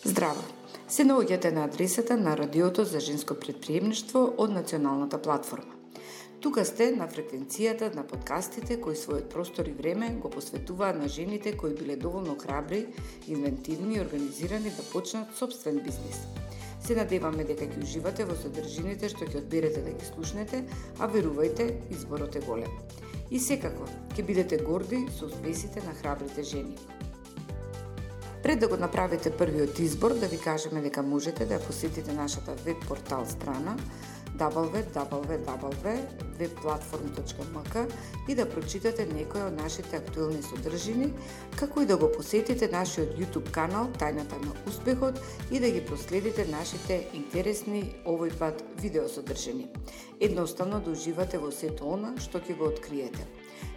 Здраво! Се наоѓате на адресата на Радиото за женско претприемништво од Националната платформа. Тука сте на фреквенцијата на подкастите кои својот простор и време го посветуваат на жените кои биле доволно храбри, инвентивни и организирани да почнат собствен бизнис. Се надеваме дека ќе уживате во содржините што ќе одберете да ги слушнете, а верувајте, изборот е голем. И секако, ќе бидете горди со успесите на храбрите жени. Пред да го направите првиот избор, да ви кажеме дека можете да посетите нашата веб портал страна www.webplatform.mk и да прочитате некои од нашите актуелни содржини, како и да го посетите нашиот YouTube канал Тајната на успехот и да ги проследите нашите интересни овој пат видеосодржини. Едноставно да уживате во сето она што ќе го откриете.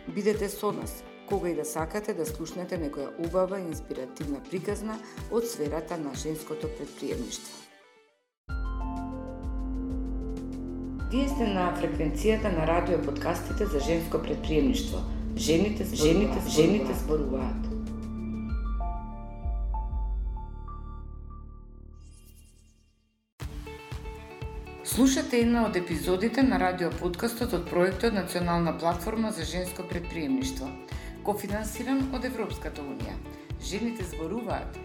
Бидете со нас кога и да сакате да слушнете некоја убава и инспиративна приказна од сферата на женското претприемништво. Вие сте на фреквенцијата на радио подкастите за женско претприемништво. Жените зборуваат. Слушате една од епизодите на радио подкастот од проектот Национална платформа за женско претприемништво, кофинансиран од Европската унија. Жените зборуваат.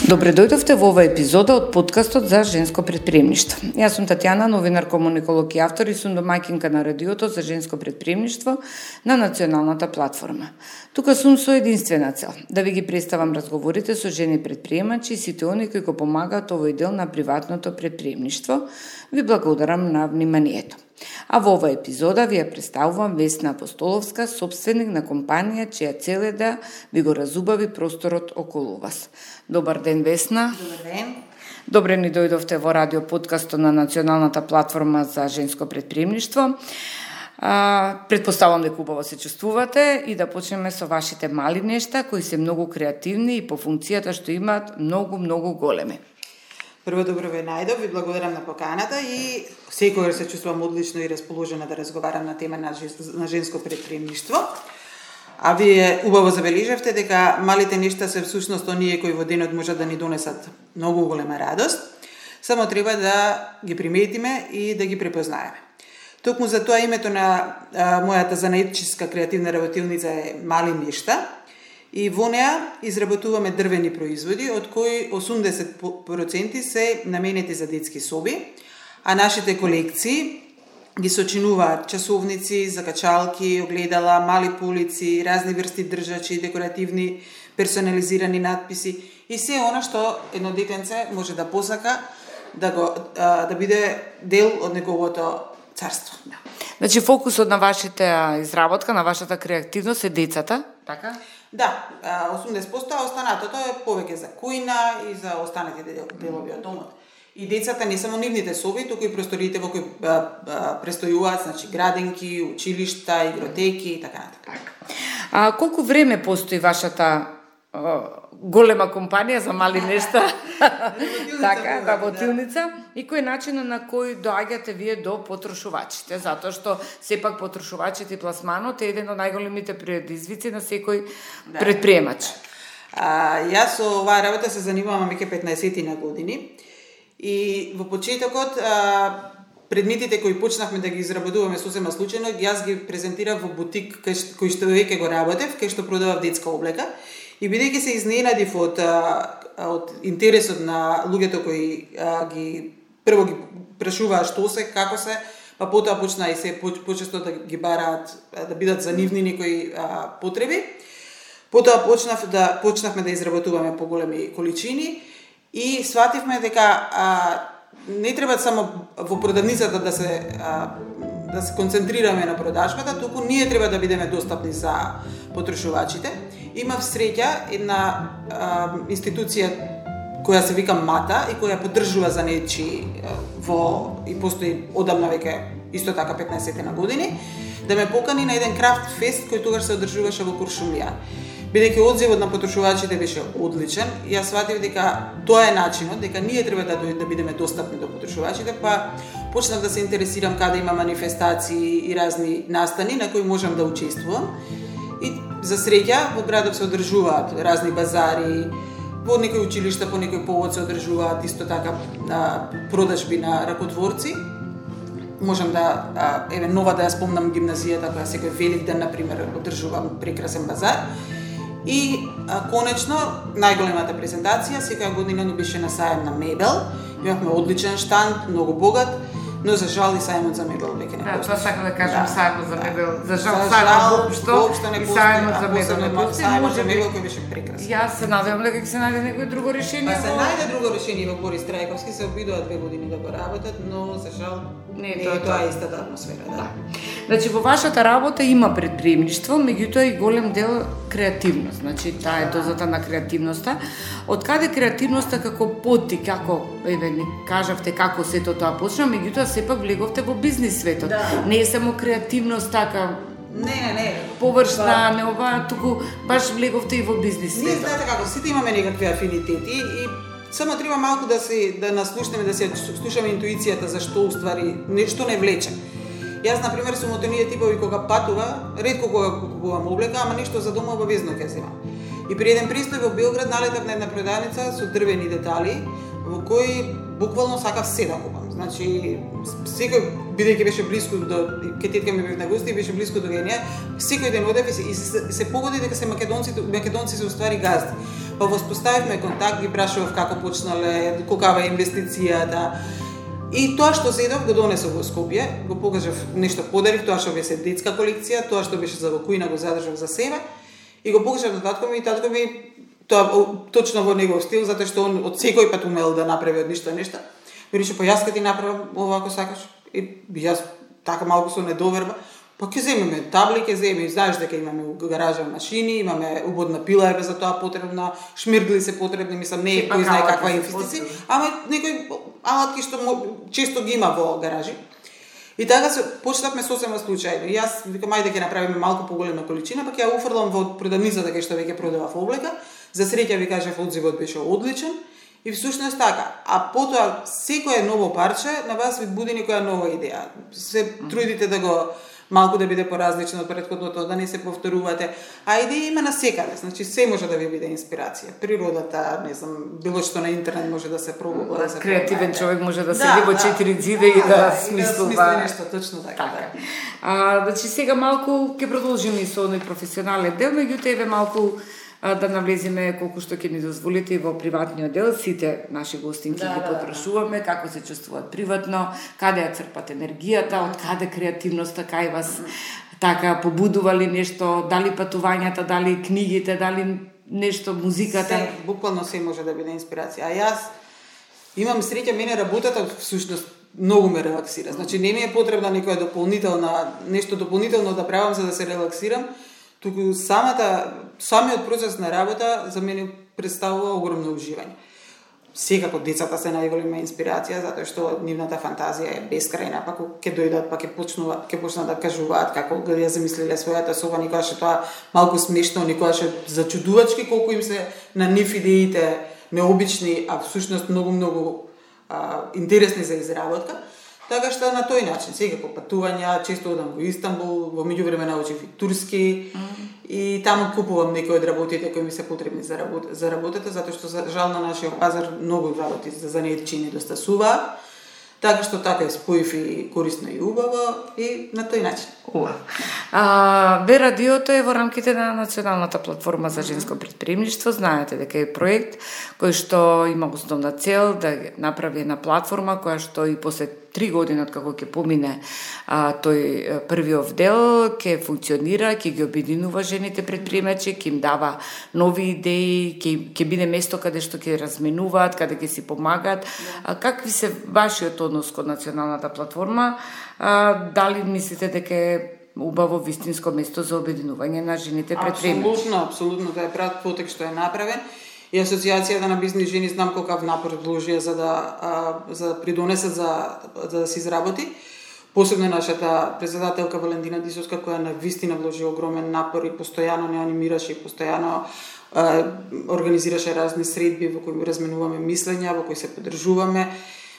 Добре дојдовте во оваа епизода од подкастот за женско претприемништво. Јас сум Татјана, новинар, комуниколог и автор и сум домаќинка на радиото за женско претприемништво на Националната платформа. Тука сум со единствена цел да ви ги представам разговорите со жени претприемачи и сите они кои го помагаат овој дел на приватното претприемништво. Ви благодарам на вниманието. А во оваа епизода ви ја представувам Весна Апостоловска, собственик на компанија чија цел е да ви го разубави просторот околу вас. Добар ден, Весна. Добар ден. Добре ни дојдовте во радио подкастот на Националната платформа за женско претприемништво. Предпоставам дека убаво се чувствувате и да почнеме со вашите мали нешта кои се многу креативни и по функцијата што имаат многу големи. Прво добро ве најдов, ви благодарам на поканата и секогаш се чувствувам одлично и расположена да разговарам на тема на женско претприемништво. А вие убаво забележавте дека малите нешта се всушност оние кои во денот можат да ни донесат многу голема радост, само треба да ги приметиме и да ги препознаеме. Токму за тоа името на мојата занаидчиска креативна работилница е Мали нешта. И во неа изработуваме дрвени производи, од кои 80% се наменети за детски соби, а нашите колекции ги сочинуваат часовници, закачалки, огледала, мали полици, разни врсти држачи, декоративни, персонализирани надписи и се она што едно детенце може да посака да биде дел од неговото царство. Значи фокусот на вашите изработка, на вашата креативност е децата, така? Да, 80%, а останатото е повеќе за кујна и за останатите делови од домот. И децата не само нивните соби, туку и просториите во кои престојуваат, значи градинки, училишта, игротеки и така натаму. Колку време постои вашата голема компанија за мали нешта, така, работилница, и кој е начинот на кој доаѓате вие до потрошувачите, затоа што сепак потрошувачите и пласманот е еден од најголемите предизвици на секој претприемач. Јас со оваа работа се занимавам веќе 15 на години и во почетокот предметите кои почнавме да ги изработуваме сосема случајно, јас ги презентирав во бутик кој што веќе го работев, кај што продавав детска облека. И бидејќи се изненадив од интересот на луѓето кои прво ги прашуваат што се, како се, па потоа почна и се почесто да ги бараат, да бидат за нивни некои потреби. Потоа почнавме да изработуваме поголеми количини и свативме дека не треба само во продавницата да се концентрираме на продажбата, туку ние треба да бидеме достапни за потрошувачите. Имав среќа една институција која се вика МАТА и која поддржува занечи и постои одамна веќе исто така 15 на години, да ме покани на еден крафт фест кој тогаш се одржуваше во Куршумлија. Бидејќи одзивот на потрошувачите беше одличен, јас сватив дека тоа е начинот, дека ние треба да бидеме достапни до потрошувачите, па почнав да се интересирам каде има манифестации и разни настани на кои можам да учествувам. И за среќа во градот се одржуваат разни базари, по некои училишта, по некој повод се одржуваат исто така продажби на ракотворци. Можам да нова да ја спомнам гимназијата која секој Великден на пример одржува прекрасен базар. И конечно најголемата презентација секоја година ни беше на сајам на мебел. Имавме одличен штанд, многу богат, но за жал и сајмот за мебел веќе не постои. Тоа сакам да кажам, сајмот за мебел. За жал сајмот воопшто не постои. Сајмот за мебел не постои. Сајмот за мебел кој беше прекрасен. Јас се надевам дека ќе се најде некој друго решение. Па се најде друго решение во Борис Трајковски, се обидува 2 години да го работат, но за жал не е тоа истата атмосфера, да. Значи во вашата работа има предприемништво, меѓутоа и голем дел креативност. Значи таа е дозата на креативноста. Од каде креативноста како поти, како ни кажавте како сето тоа почна, меѓутоа сепак влеговте во бизнис светот. Да. Не е само креативност така Не. површна, не ова, туку баш влеговте и во бизнис светот. Ние знаете како, сите имаме некакви афинитети и само треба малку да наслушнеме, да се слушаме интуицијата за што уствари нешто не влече. Јас на пример сум од оние типови кога патува, ретко кога купувам облека, ама нешто за дома обавезно ќе земам. И при еден пристој во Белград налетав на една продајница со дрвени детали, во кои буквално сакав се да купам. Значи, секој, бидејќи беше блиску до ке тетка ми бев на гости, беше блиску до неја, секој ден одев и се погоди дека се македонци се уствари газди. Па воспоставивме контакт, ги прашував како почнале, колкава е инвестицијата. И тоа што зедов го донесов во Скопје, го покажав нешто подарив, тоа што беше детска колекција, тоа што беше за вакуина го задржав за себе и го покажав на татко ми и татко ми тоа точно во негов стил, затоа што он од секој пат умел да направи од ништо нешто. Ми рече, па јас ка ти направам овако сакаш. И јас така малку со недоверба, па ќе земеме табли, ќе земеме, знаеш дека имаме у гаража машини, имаме убодна пила е за тоа потребна, шмиргли се потребни, мислам не е кој знае каква инвестиција, ама некои алатки што често ги има во гаражи. И така се почнавме сосема случајно. Јас викам ајде ќе направиме малку поголема количина, па ќе ја уфрлам во продавницата кај што веќе продавав облека. За среќа ви кажав одзивот беше одличен. И всушност така, а потоа секое ново парче на вас ви буди некоја нова идеја. Се трудите да го малку да биде поразлично од претходното, да не се повторувате. А идеја има насекаде, значи се може да ви биде инспирација. Природата, не знам, било што на интернет може да се пробува. Да се креативен човек може да седи во 4 зида и да смислува. Да, нешто точно така. Значи сега малку ќе продолжиме и со оној професионален дел, меѓутоа еве малку да навлеземе колку што ќе ни дозволите и во приватниот дел. Сите наши гостинки ги потпрашуваме како се чувствуваат приватно, каде ја црпат енергијата, од каде креативноста кај вас така побудували нешто, дали патувањата, дали книгите, дали нешто музиката. Се, буквално се може да биде инспирација. А јас имам среќа, мене работата всушност многу ме релаксира. Значи не ми е потребна некоја нешто дополнително да правам за да се релаксирам. Туку самиот процес на работа за мене представува огромно уживање. Секако децата се најголема инспирација затоа што нивната фантазија е бескрајна, па ќе дојдат, па ќе почнат да кажуваат како го ја замислиле својата соба, никогаш е тоа малку смешно, никогаш е зачудувачки колку им се на нив идеите необични, а всушност многу интересни за изработка. Така што на тој начин, секако патувања, често одам во Истанбул, во меѓувреме научив и турски и таму купувам некои од работите кои ми се потребни за работата, затоа што за жал на нашиот пазар многу работи за занаетчи недостасуваат. Така што така е споив и корисно и убаво и на тој начин. Бе радиото е во рамките на Националната платформа за женско предприемништво. Знаете дека е проект кој што има основна цел да направи една платформа која што и после 3 години од како ќе помине тој првиот дел, ќе функционира, ќе ги обединува жените предприемачи, ќе им дава нови идеи, ќе биде место каде што ќе разменуваат, каде ќе си помагаат. Какви се вашиот однос кон Националната платформа? Дали мислите дека е убаво вистинско место за обединување на жените предприемачи? Абсолютно, тоа е прав потек што е направен. И Асоциацијата на бизнис жени знам колкав напор вложија за да придонесат за да се изработи. Посебно нашата председателка Валентина Дисовска, која навистина вложи огромен напор и постојано не анимираше и постојано организираше разни средби во кои разменуваме мислења, во кои се поддржуваме.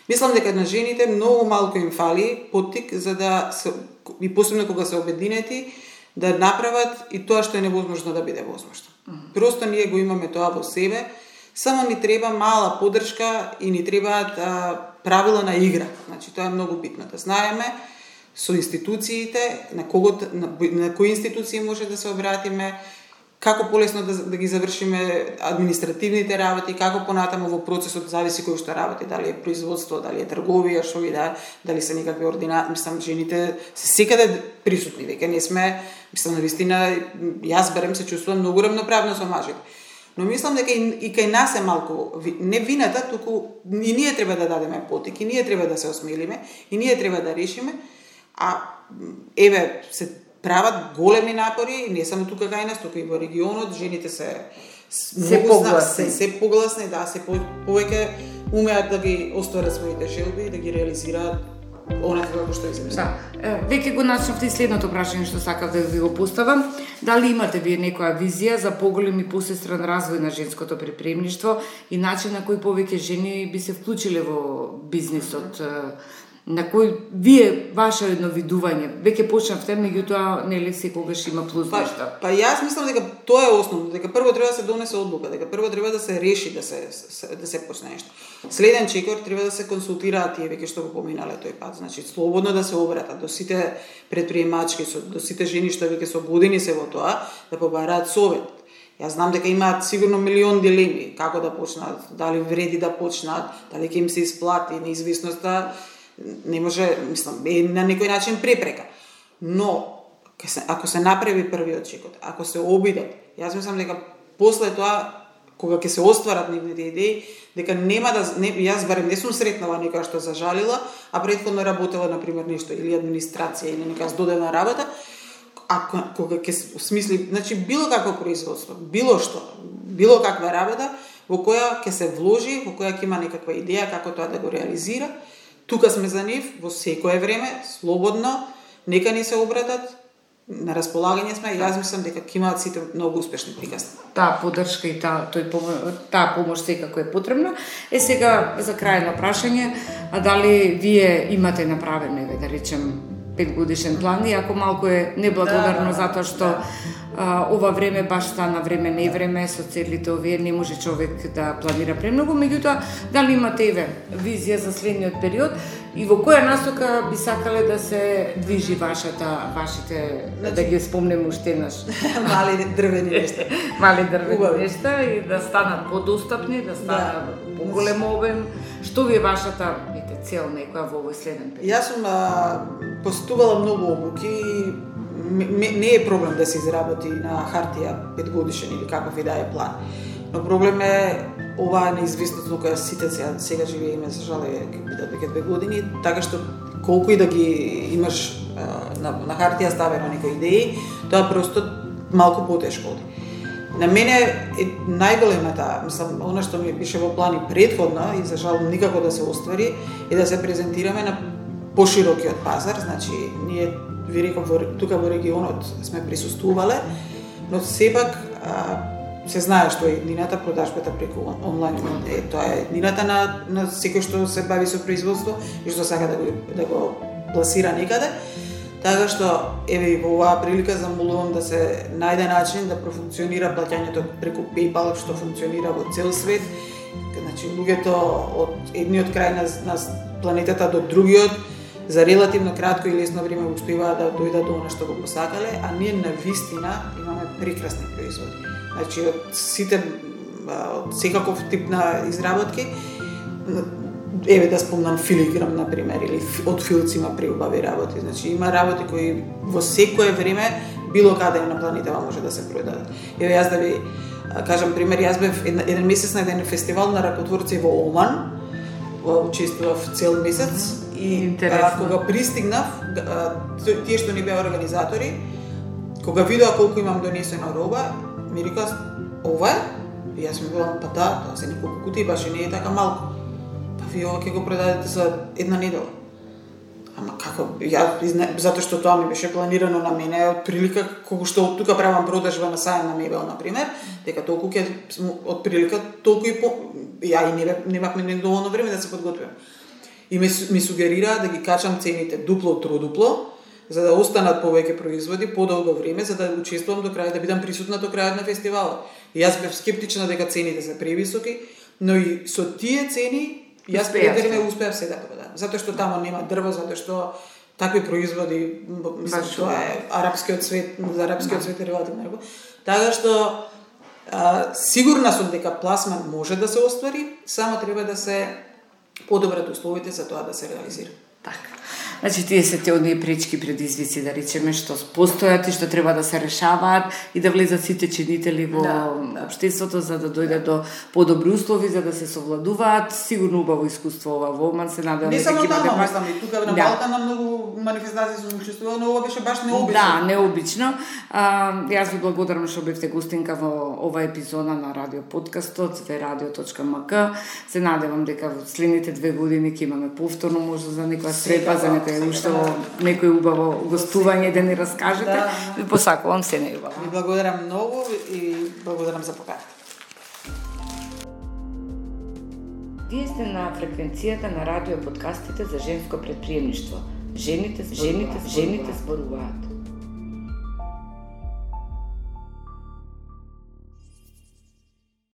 Мислам дека на жените многу малку им фали поттик за да се, и посебно кога се обединети, да направат и тоа што е невозможно да биде возможно. Просто ние го имаме тоа во себе, Само ни треба мала поддршка и ни требаат правила на игра. Значи тоа е многу битно да знаеме со институциите, на кои институции може да се обратиме, како полесно да ги завршиме административните работи, како понатамо во процесот зависи кој што работи, дали е производство, дали е трговија, што ви дали се некакви мислам жените се секаде присутни, веќе не сме, мислам навистина јас барем се чувствувам многу равноправно со мажите. Но мислам дека и кај нас е малку не вината, туку и ние треба да дадеме потик, и ние треба да се осмелиме, и ние треба да решиме, а еве се прават големи напори, не само тука кај нас, туку и во регионот, жените се погласни, да, се повеќе умеат да ги остварат своите желби и да ги реализираат онакво како што измислат. Да. Веќе го начнавте и следното прашање што сакав да ви го поставам. Дали имате вие некоја визија за поголем и посестрен развој на женското предприемништво и начин на кој повеќе жени би се вклучиле во бизнисот, на кој вие ваше едновидување веќе почнавте, меѓутоа нели секогаш има плюс нешто. Па јас мислам дека тоа е основно, дека прво треба да се донесе одлука, дека прво треба да се реши да се почне нешто. Следен чекор треба да се консултираат тие веќе што го поминале тој пат, значи слободно да се обратат до сите предприемачки, до сите жени што веќе со години се во тоа, да побараат совет. Јас знам дека имаат сигурно милион дилеми како да почнат, дали вреди да почнат, дали ќе им се исплати, неизвисноста не може, мислам, е на некој начин препрека. Но ако се направи првиот чекот, ако се обидат, јас мислам дека после тоа кога ќе се остварат нивните идеи, дека нема да јас барем не сум сретнала некоја што зажалила, а претходно работела на пример нешто или администрација или нека додадена работа, кога ќе смисли, значи било какво производство, било што, било каква работа во која ќе се вложи, во која ќе има некаква идеја како тоа да го реализира. Тука сме за нив во секое време, слободно, нека ни се обратат, на располагање сме, јас мислам дека ќе имаат сите многу успешни приказни. Таа поддршка и таа помош секако е потребна. Сега за крајно прашање, дали вие имате направено, да речем, 5-годишен план, иако малку е неблагодарно затоа што ова време баш стана време не време, со целите овие не може човек да планира премногу, меѓутоа дали имате визија за следниот период и во која насока би сакале да се движи вашите, да ги спомнеме уште еднаш. Мали дрвени нешта. Мали дрвени нешта и да станат подостапни, да станат поголем обем. Што ви е вашата цел некоја во овој следен период? Јас сум посетувала многу обуки и не е проблем да се изработи на хартија 5 годишен или каков и да е план. Но проблем е оваа неизвестност во која сите сега живееме, за жал бидат веќе 2 години, така што колку и да ги имаш на хартија ставено некои идеи, тоа просто малку потешко оди. На мене е најголемата, мислам, она што ми беше во плани претходно и за жал никако да се оствари, е да се презентираме на поширокиот пазар, значи ние ви реков тука во регионот сме присуствувале, но сепак се знае што е еднината продажбата преку онлайн. Тоа е еднината на секој што се бави со производство и што сака да го пласира некаде. Така што, еве и во оваа прилика замолувам да се најде начин да профункционира плаќањето преку PayPal, што функционира во цел свет. Значи, луѓето од едниот крај на планетата до другиот за релативно кратко и лесно време успеваат да дојдат до она што го посакале, а ние навистина имаме прекрасни производи. Значи, од секаков тип на изработки, еве да спомнам филиграм, например, или од филци има преубави работи. Значи, има работи кои во секое време, било каде на планетава може да се продадат. Еве, јас да ви кажам пример, јас бев еден месец на еден фестивал на ракотворци во Оман, учествував цел месец и кога пристигнав, тие што ни беа организатори, кога видоа колку имам донесена роба, ми рекоа, ова е? И јас ми велам, па да, тоа се неколку кутии, баш и не е така малку. Па вие ова ќе го продадете за една недела. Ама како, затоа што тоа ми беше планирано на мене, од прилика, колку што од тука правам продажба на сајм на мебел, например, дека толку ќе, од прилика, толку и по... Ја и немавме недоволно време да се подготвим. И ми сугерира да ги качам цените дупло, тродупло, за да останат повеќе производи подолго време, за да учествувам до крај, да бидам присутна до крајот на фестивалот. И јас бев скептична дека цените се превисоки, но и со тие цени јас пределно успеав се да продам. Затоа што таму нема дрво, затоа што такви производи, мислам, тоа е арапскиот свет, за арапскиот свет е релативно него. Така што сигурна сум дека пласман може да се оствари, само треба да се подобрат условите за тоа да се реализира. Така. Значи, тие се те оние пречки предизвици, да речеме, што постојат и што треба да се решаваат и да влезат сите чинители во општеството за да дојде до подобри услови, за да се совладуваат. Сигурно убаво искуство ова во Оман, се надевам дека ќе биде баш и тука на Балкан на многу манифестации сум учествувала, но ова беше баш необично. Да, необично. Јас ви благодарам што бевте гостинка во ова епизода на радио подкастот veradio.mk. Се надевам дека во следните 2 години ќе имаме повторно можда за некоја средба, за некоја уште некој убаво гостување да ни раскажете. Ви посакувам се најубаво. Ви благодарам многу и благодарам за поканата. Вие сте на фреквенцијата на радио подкастите за женско претприемништво. Жените зборуваат.